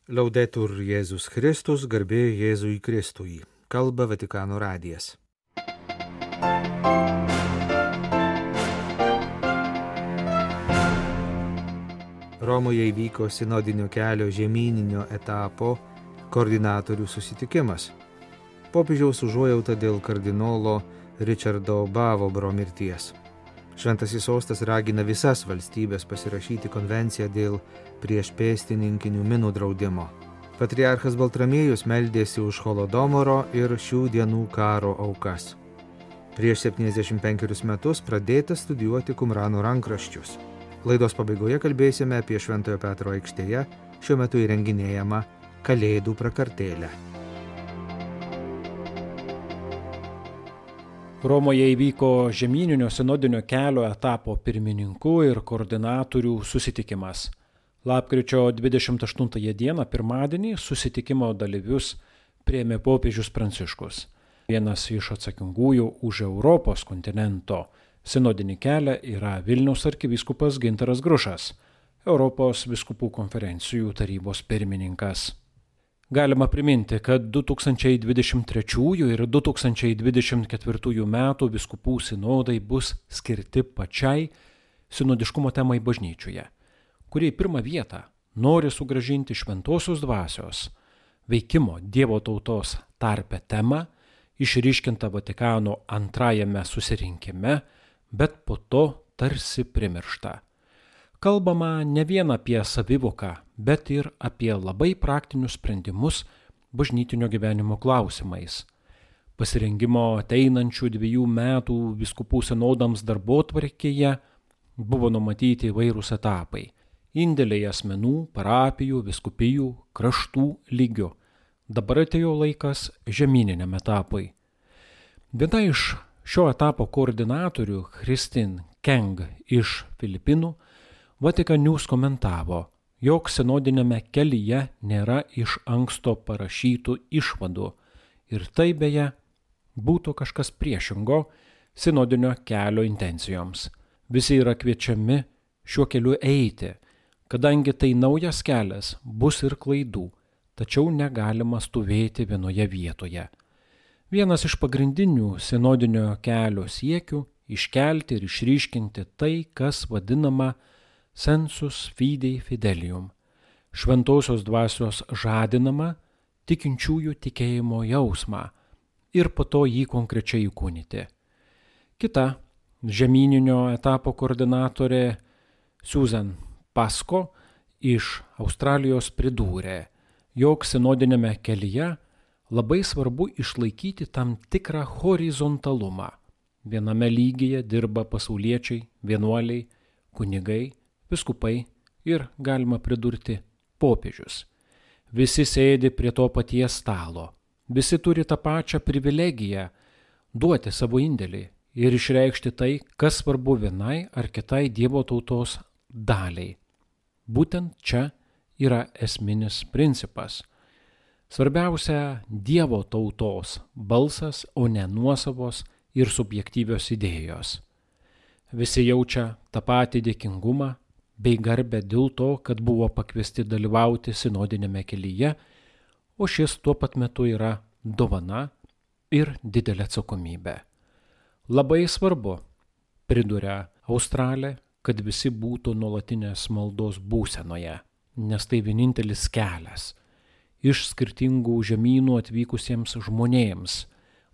Laudetur Jėzus Kristus, garbė Jėzui Kristui. Kalba Vatikano radijas. Romoje įvyko sinodinio kelio žemyninio etapo koordinatorių susitikimas. Popiežiaus užuojauta dėl kardinolo Richardo Bavobro mirties. Šventasis sostas ragina visas valstybės pasirašyti konvenciją dėl priešpėstininkinių minų draudimo. Patriarchas Baltramiejus meldėsi už Holodomoro ir šių dienų karo aukas. Prieš 75 metus pradėta studijuoti Kumrano rankraščius. Laidos pabaigoje kalbėsime apie Šventojo Petro aikštėje šiuo metu įrenginėjamą Kalėdų prakartėlę. Romoje įvyko žemyninio sinodinio kelio etapo pirmininkų ir koordinatorių susitikimas. Lapkričio 28 dieną, pirmadienį, susitikimo dalyvius priėmė popiežius Pranciškus. Vienas iš atsakingųjų už Europos kontinento sinodinį kelią yra Vilniaus arkivyskupas Gintaras Grušas, Europos vyskupų konferencijų tarybos pirmininkas. Galima priminti, kad 2023 ir 2024 metų vyskupų sinodai bus skirti pačiai sinodiškumo temai bažnyčioje, kurie į pirmą vietą nori sugrąžinti šventosios dvasios veikimo Dievo tautos tarpe temą, išryškintą Vatikano antrajame susirinkime, bet po to tarsi primiršta. Kalbama ne vien apie savivoką, bet ir apie labai praktinius sprendimus bažnytinio gyvenimo klausimais. Pasirengimo ateinančių 2 metų vyskupų sinodams darbotvarkėje buvo numatyti įvairūs etapai. Indėliai asmenų, parapijų, vyskupijų, kraštų lygių. Dabar atėjo laikas žemyniniam etapui. Viena iš šio etapo koordinatorių, Christine Keng iš Filipinų, Vatican News komentavo, jog sinodinėme kelyje nėra iš anksto parašytų išvadų ir tai beje būtų kažkas priešingo sinodinio kelio intencijoms. Visi yra kviečiami šiuo keliu eiti, kadangi tai naujas kelias, bus ir klaidų, tačiau negalima stovėti vienoje vietoje. Vienas iš pagrindinių sinodinio kelio siekių – iškelti ir išryškinti tai, kas vadinama sensus fidei fidelium, šventosios dvasios žadinama tikinčiųjų tikėjimo jausmą ir po to jį konkrečiai įkūnyti. Kita žemyninio etapo koordinatorė Susan Pasco iš Australijos pridūrė, jog sinodinėme kelyje labai svarbu išlaikyti tam tikrą horizontalumą. Viename lygyje dirba pasauliečiai, vienuoliai, kunigai, vyskupai ir, galima pridurti, popiežius. Visi sėdi prie to paties stalo. Visi turi tą pačią privilegiją duoti savo indėlį ir išreikšti tai, kas svarbu vienai ar kitai Dievo tautos daliai. Būtent čia yra esminis principas. Svarbiausia Dievo tautos balsas, o ne nuosavos ir subjektyvios idėjos. Visi jaučia tą patį dėkingumą bei garbę dėl to, kad buvo pakviesti dalyvauti sinodinėme kelyje, o šis tuo pat metu yra dovana ir didelė atsakomybė. Labai svarbu, priduria Australė, kad visi būtų nuolatinės maldos būsenoje, nes tai vienintelis kelias iš skirtingų žemynų atvykusiems žmonėms,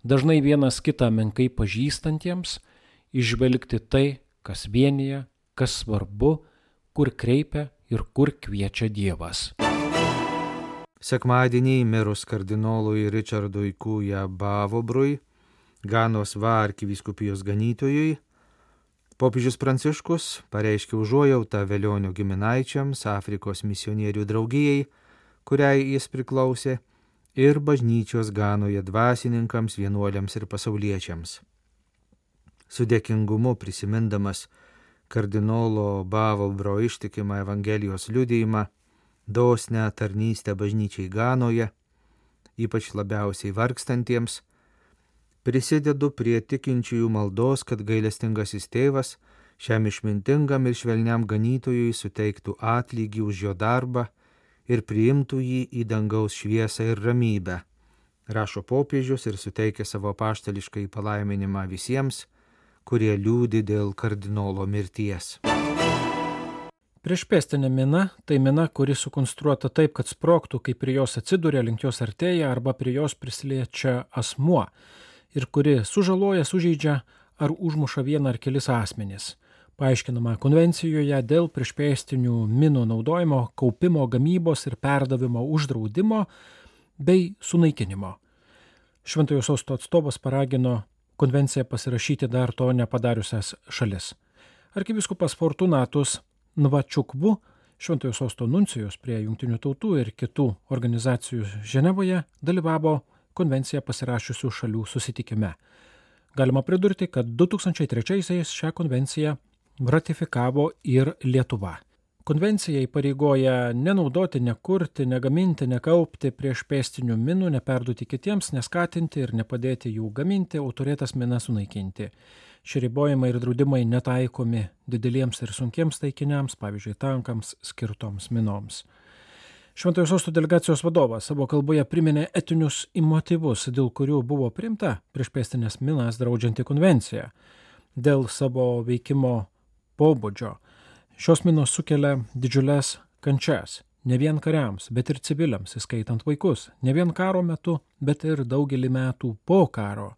dažnai vienas kitą menkai pažįstantiems, išvelgti tai, kas vienija, kas svarbu, kur kreipia ir kur kviečia Dievas. Sekmadienį mirus kardinolui Richardui Kuja Bavobrui, Ganos Va arkivyskupijos ganytojui, popiežius Pranciškus pareiškė užuojautą Velionio giminaičiams, Afrikos misionierių draugijai, kuriai jis priklausė, ir bažnyčios Ganoje dvasininkams, vienuoliams ir pasauliečiams. Su dėkingumu prisimindamas kardinolo Bavobro ištikimą Evangelijos liudijimą, dosnią tarnystę bažnyčiai Ganoje, ypač labiausiai vargstantiems, prisidedu prie tikinčiųjų maldos, kad gailestingasis tėvas šiam išmintingam ir švelniam ganytojui suteiktų atlygį už jo darbą ir priimtų jį į dangaus šviesą ir ramybę, rašo popiežius ir suteikia savo apaštališką palaiminimą visiems, kurie liūdi dėl kardinolo mirties. Priešpėstinė mina – tai mina, kuri sukonstruota taip, kad sprogtų, kai prie jos atsiduria, link jos artėja arba prie jos prisiliečia asmuo ir kuri sužaloja, sužeidžia ar užmuša vieną ar kelis asmenis. Paaiškinama konvencijoje dėl priešpėstinių minų naudojimo, kaupimo, gamybos ir perdavimo uždraudimo bei sunaikinimo. Šventojo sosto atstovas paragino konvenciją pasirašyti dar to nepadariusias šalis. Arkivyskupas Fortunatus Nvačukvu, Šventojo sosto nuncijus prie Jungtinių tautų ir kitų organizacijų Ženevoje, dalyvavo konvenciją pasirašiusių šalių susitikime. Galima pridurti, kad 2003-aisiais šią konvenciją ratifikavo ir Lietuva. Konvencija įpareigoja nenaudoti, nekurti, negaminti, nekaupti priešpėstinių minų, neperduoti kitiems, neskatinti ir nepadėti jų gaminti, o turėtas minas sunaikinti. Šie ribojimai ir draudimai netaikomi dideliems ir sunkiems taikiniams, pavyzdžiui, tankams skirtoms minoms. Šventojo sosto delegacijos vadovas savo kalboje priminė etinius motyvus, dėl kurių buvo priimta priešpėstinės minas draudžianti konvencija. Dėl savo veikimo pobūdžio. Šios minos sukelia didžiules kančias, ne vien kariams, bet ir civiliams, įskaitant vaikus, ne vien karo metu, bet ir daugelį metų po karo.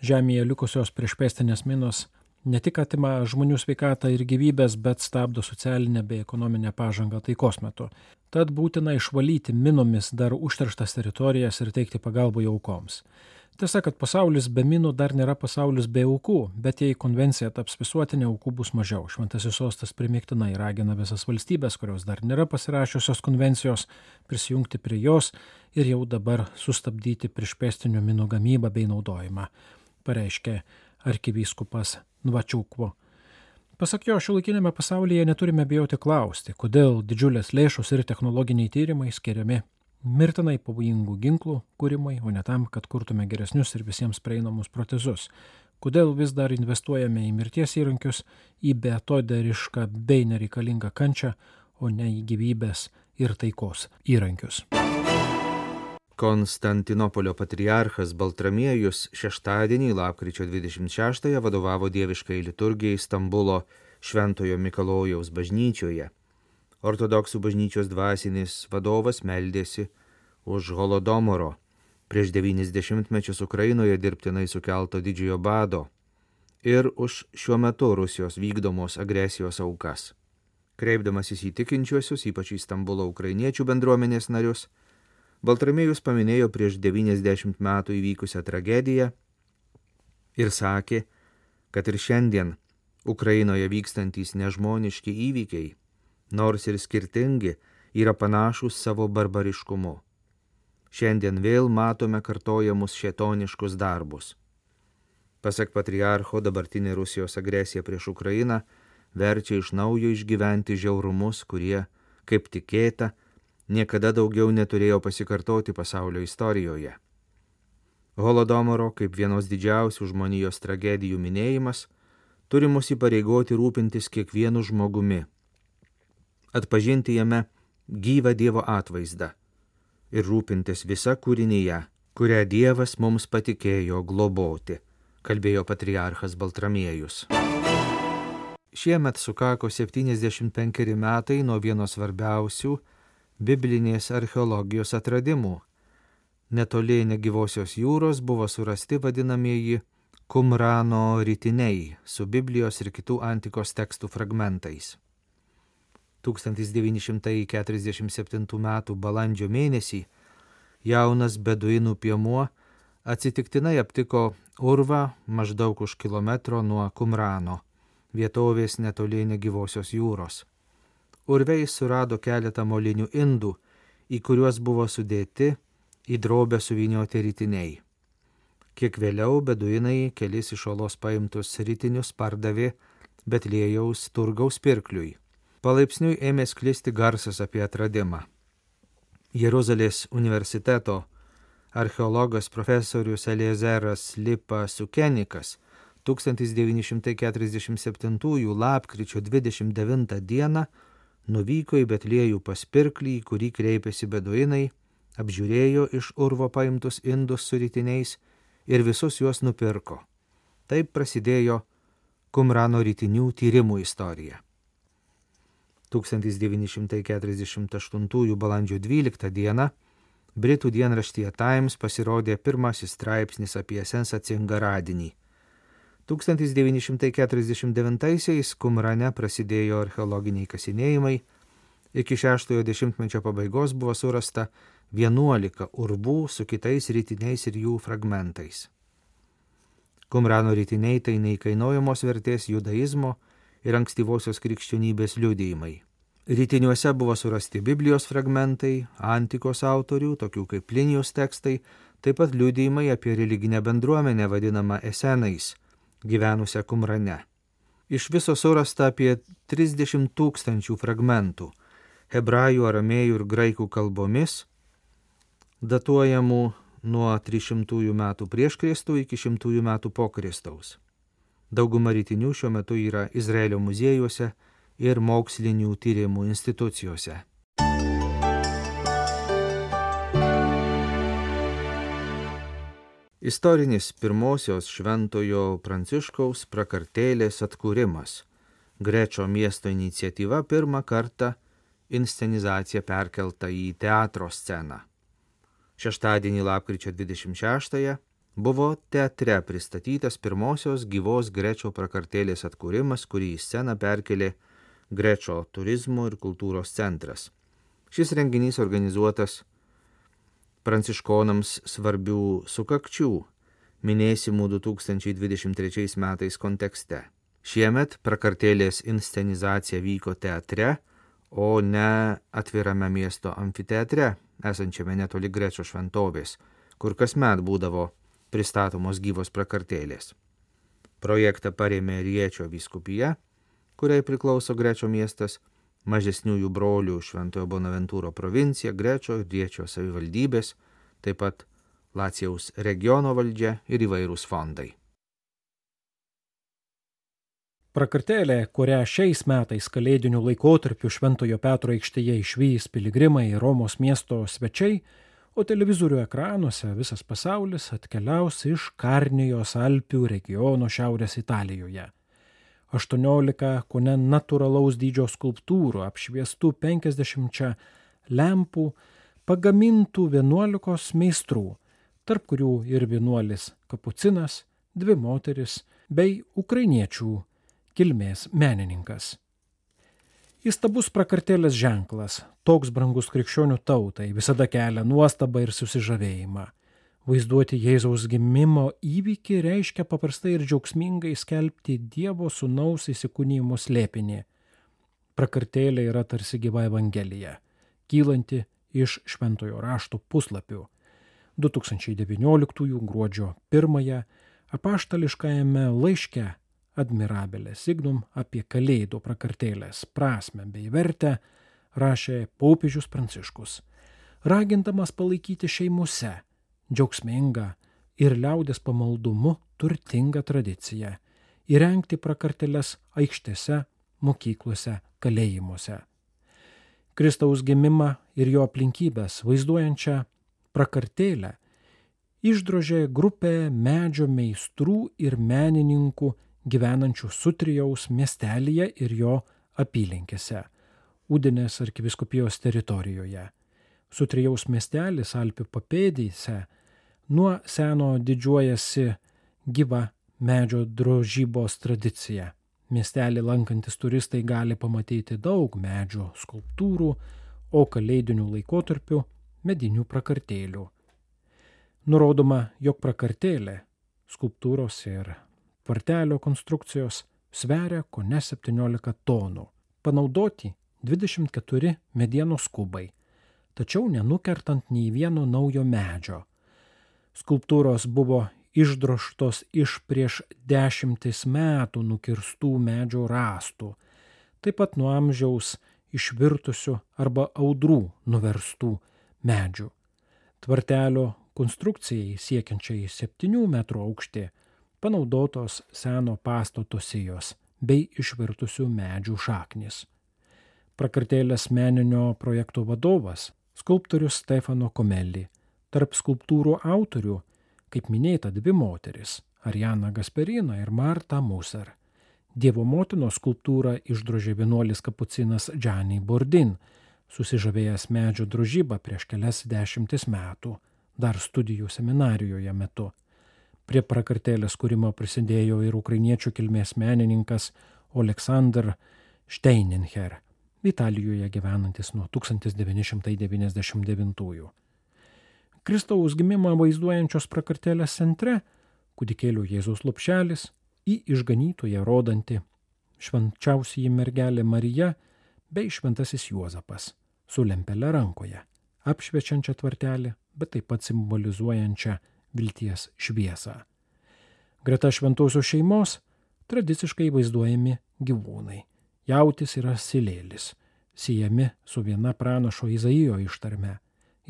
Žemėje likusios priešpėstinės minos ne tik atima žmonių sveikatą ir gyvybės, bet stabdo socialinę bei ekonominę pažangą taikos metu. Tad būtina išvalyti minomis dar užterštas teritorijas ir teikti pagalbą aukoms. Tiesa, kad pasaulis be minų dar nėra pasaulis be aukų, bet jei konvencija taps visuotinė, aukų bus mažiau. Šventasis sostas primygtinai ragina visas valstybės, kurios dar nėra pasirašiusios konvencijos, prisijungti prie jos ir jau dabar sustabdyti priešpėstinių minų gamybą bei naudojimą, pareiškė arkivyskupas Nvačukvu. Pasak jo, šiuolaikinėme pasaulyje neturime bijoti klausti, kodėl didžiulės lėšos ir technologiniai tyrimai skiriami mirtinai pavojingų ginklų kūrimai, o ne tam, kad kurtume geresnius ir visiems prieinamus protezus. Kodėl vis dar investuojame į mirties įrankius, į beatodarišką bei nereikalingą kančią, o ne į gyvybės ir taikos įrankius. Konstantinopolio patriarchas Baltramiejus šeštadienį, lapkričio 26-ąją, vadovavo dieviškai liturgijai Stambulo Šventojo Mikalojaus bažnyčioje. Ortodoksų bažnyčios dvasinis vadovas meldėsi už Holodomoro, prieš 90 mečius Ukrainoje dirbtinai sukelto didžiojo bado ir už šiuo metu Rusijos vykdomos agresijos aukas. Kreipdamasis į tikinčiuosius, ypač į Stambulo ukrainiečių bendruomenės narius, Baltramiejus paminėjo prieš 90 metų įvykusią tragediją ir sakė, kad ir šiandien Ukrainoje vykstantys nežmoniški įvykiai, nors ir skirtingi, yra panašūs savo barbariškumu. Šiandien vėl matome kartojamus šėtoniškus darbus. Pasak patriarcho, dabartinė Rusijos agresija prieš Ukrainą verčia iš naujo išgyventi žiaurumus, kurie, kaip tikėta, niekada daugiau neturėjo pasikartoti pasaulio istorijoje. Holodomoro, kaip vienos didžiausių žmonijos tragedijų minėjimas, turi mus įpareigoti rūpintis kiekvienu žmogumi, atpažinti jame gyvą Dievo atvaizdą ir rūpintis visa kūrinyje, kurią Dievas mums patikėjo globoti, kalbėjo patriarchas Baltramiejus. Šiemet sukako 75 metai nuo vieno svarbiausių biblinės archeologijos atradimų. Netoli negyvosios jūros buvo surasti vadinamieji Kumrano ritiniai su Biblijos ir kitų antikos tekstų fragmentais. 1947 m. balandžio mėnesį jaunas beduinų piemuo atsitiktinai aptiko urvą maždaug už kilometro nuo Kumrano, vietovės netoli negyvosios jūros. Urve jis surado keletą molinių indų, į kuriuos buvo sudėti į drobę suvynioti ritiniai. Kiek vėliau beduinai kelis iš olos paimtus ritinius pardavė Betliejaus turgaus pirkliui. Palaipsniui ėmė sklisti garsas apie atradimą. Jeruzalės universiteto archeologas profesorius Eliezeras Lipa Sukenikas 1947 lapkričio 29 dieną nuvyko į Betliejų pas pirklį, į kurį kreipėsi beduinai, apžiūrėjo iš urvo paimtus indus su ritiniais ir visus juos nupirko. Taip prasidėjo Kumrano ritinių tyrimų istorija. 1948 balandžio 12 dieną Britų dienraštyje Times pasirodė pirmasis straipsnis apie sensacingą radinį. 1949-aisiais Kumrane prasidėjo archeologiniai kasinėjimai. Iki 6-ojo dešimtmečio pabaigos buvo surasta 11 urbų su kitais ritiniais ir jų fragmentais. Kumrano ritiniai tai neįkainojamos vertės judaizmo ir ankstyvosios krikščionybės liudijimai. Ritiniuose buvo surasti Biblijos fragmentai, antikos autorių, tokių kaip Plinijos tekstai, taip pat liudijimai apie religinę bendruomenę vadinamą Esenais, gyvenusią Kumrane. Iš viso surasta apie 30 000 fragmentų, hebrajų, aramėjų ir graikų kalbomis, datuojamų nuo 300 metų prieš Kristų iki 100 metų po Kristaus. Dauguma ritinių šiuo metu yra Izraelio muziejuose ir mokslinių tyrimų institucijose. Istorinis pirmosios Šventojo Pranciškaus prakartėlės atkūrimas. Grečo miesto iniciatyva pirmą kartą inscenizacija perkelta į teatro sceną. Šeštadienį lapkričio 26-ąją buvo teatre pristatytas pirmosios gyvos Grečo prakartėlės atkūrimas, kurį į sceną perkelė Grečo turizmo ir kultūros centras. Šis renginys organizuotas pranciškonams svarbių sukakčių, minėsimų 2023 metais kontekste. Šiemet prakartėlės inscenizacija vyko teatre, o ne atvirame miesto amfiteatre, esančiame netoli Grečo šventovės, kur kasmet būdavo pristatomos gyvos prakartėlės. Projektą parėmė Riečio vyskupija, kuriai priklauso Grečo miestas, mažesniųjų brolių Šventojo Bonaventūro provincija, Grečo ir Riečio savivaldybės, taip pat Lacijaus regiono valdžia ir įvairūs fondai. Prakartėlė, kurią šiais metais kalėdiniu laikotarpiu Šventojo Petro aikštėje išvys piligrimai ir Romos miesto svečiai, o televizorių ekranuose visas pasaulis atkeliaus iš Karnijos Alpių regiono šiaurės Italijoje. 18 kone natūralaus dydžio skulptūrų apšviestų 50 lempų pagamintų 11 meistrų, tarp kurių ir vienuolis kapucinas, 2 moteris bei ukrainiečių kilmės menininkas. Įstabus prakartėlės ženklas, toks brangus krikščionių tautai, visada kelia nuostabą ir susižavėjimą. Vaizduoti Jėzaus gimimo įvykį reiškia paprastai ir džiaugsmingai skelbti Dievo sūnaus įsikūnijimo slėpinį. Prakartėlė yra tarsi gyva evangelija, kylanti iš šventojo rašto puslapių. 2019 gruodžio 1 apaštališkajame laiške Admirabile Signum apie Kalėdų prakartėlės prasmę bei vertę rašė popiežius Pranciškus, ragindamas palaikyti šeimose džiaugsmingą ir liaudės pamaldumu turtingą tradiciją, įrengti prakartėles aikštėse, mokyklose, kalėjimuose. Kristaus gimimą ir jo aplinkybės vaizduojančią prakartėlę išdrožė grupė medžio meistrų ir menininkų gyvenančių Sutrijaus miestelyje ir jo apylinkėse, Udinės arkivyskupijos teritorijoje. Sutrijaus miestelis Alpių papėdėse nuo seno didžiuojasi gyva medžio drožybos tradicija. Miestelį lankantis turistai gali pamatyti daug medžio skulptūrų, o kalėdinių laikotarpių medinių prakartėlių. Nurodoma, jog prakartėlė, skulptūros ir tvartelio konstrukcijos sveria kone 17 tonų, panaudoti 24 medienos kubai, tačiau nenukertant nei vieno naujo medžio. Skulptūros buvo išdrožtos iš prieš 10 metų nukirstų medžio rąstų, taip pat nuo amžiaus išvirtusių arba audrų nuverstų medžių. Tvartelio konstrukcijai siekiančiai 7 metrų aukštį panaudotos seno pastato sijos bei išvirtusių medžių šaknys. prakartėlės meninio projekto vadovas, skulptorius Stefano Comelli. Tarp skulptūrų autorių, kaip minėta, dvi moteris – Ariana Gasperina ir Marta Musser. Dievo motinos skulptūrą išdrožė vienuolis kapucinas Gianni Bordin, susižavėjęs medžio drožybą prieš kelias dešimtis metų, dar studijų seminarijoje metu. Prie prakartėlės kūrimo prisidėjo ir ukrainiečių kilmės menininkas Oleksandr Steininher, Italijoje gyvenantis nuo 1999. Kristaus gimimą vaizduojančios prakartėlės centre kūdikėlio Jėzaus lopšelis, į išganytoją rodanti švenčiausioji mergelė Marija bei šventasis Juozapas su lempele rankoje, apšviečiančia tvartelį, bet taip pat simbolizuojančia vilties šviesą. Greta šventosios šeimos tradiciškai vaizduojami gyvūnai. Jautis ir asilėlis, siejami su viena pranašo Izaijo ištarme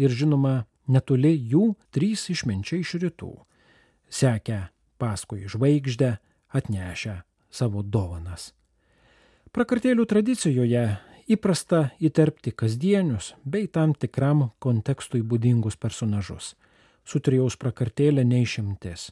ir žinoma netoli jų 3 išminčiai iš rytų, sekę paskui žvaigždę, atnešę savo dovanas. Prakartėlių tradicijoje įprasta įterpti kasdienius bei tam tikram kontekstui būdingus personažus. Sutrijaus prakartėlė neišimtis.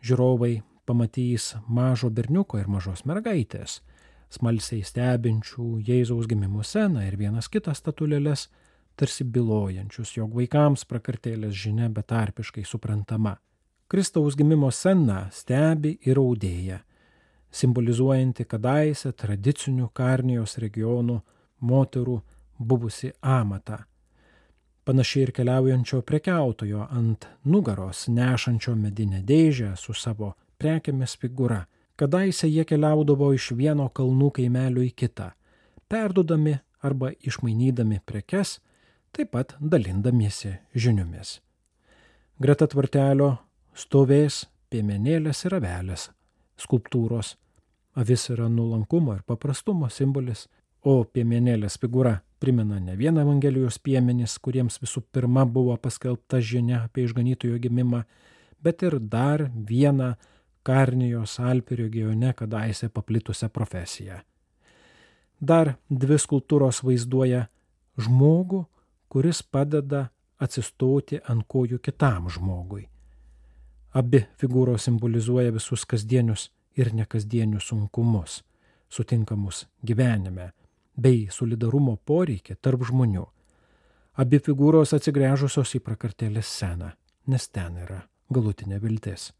Žiūrovai pamatys mažo berniuko ir mažos mergaitės, smalsiai stebinčių Jėzaus gimimo sceną ir vienas kitas statulėles, tarsi bylojančius, jog vaikams prakartėlės žinia betarpiškai suprantama. Kristaus gimimo sceną stebi ir audėja, simbolizuojanti kadaise tradicinių Karnijos regionų moterų buvusi amatą. Panašiai ir keliaujančio prekiautojo ant nugaros nešančio medinę dėžę su savo prekėmis figūra. Kadaise jie keliaudavo iš vieno kalnų kaimelio į kitą, perduodami arba išmainydami prekes, taip pat dalindamiesi žiniomis. Greta tvartelio stovės piemenėlės ir avelės skulptūros. Avis yra nuolankumo ir paprastumo simbolis, o piemenėlės figūra primena ne vieną Evangelijos piemenis, kuriems visų pirma buvo paskelbta žinia apie išganytojo gimimą, bet ir dar vieną Karnijos Alpių regione kadaise paplitusią profesiją. Dar 2 skulptūros vaizduoja žmogų, kuris padeda atsistoti ant kojų kitam žmogui. Abi figūros simbolizuoja visus kasdienius ir nekasdienius sunkumus, sutinkamus gyvenime, bei solidarumo poreikį tarp žmonių. Abi figūros atsigręžusios į prakartėlės sceną, nes ten yra galutinė viltis.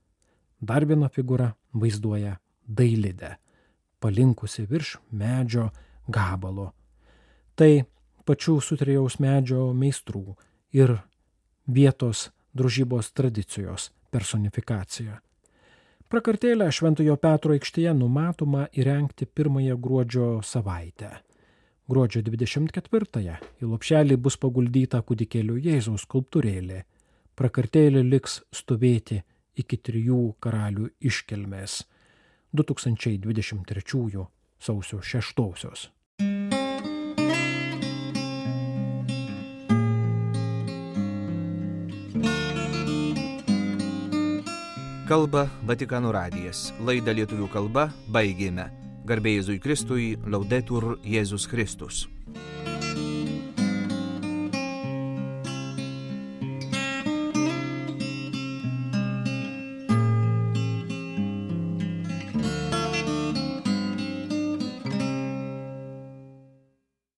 Dar viena figūra vaizduoja dailidę, palinkusi virš medžio gabalo. Tai pačių Sutrijaus medžio meistrų ir vietos drožybos tradicijos personifikacija. Prakartėlę Šventojo Petro aikštėje numatoma įrengti 1 gruodžio savaitę. Gruodžio 24-ąją į lopšelį bus paguldyta kūdikėlio Jėzaus skulptūrėlė. Prakartėlė liks stovėti iki 3 karalių iškilmės 2023 sausio 6. Kalba Vatikano radijas. Laidą lietuvių kalba baigėme. Garbė Jėzui Kristui, Laudetur Jėzus Kristus.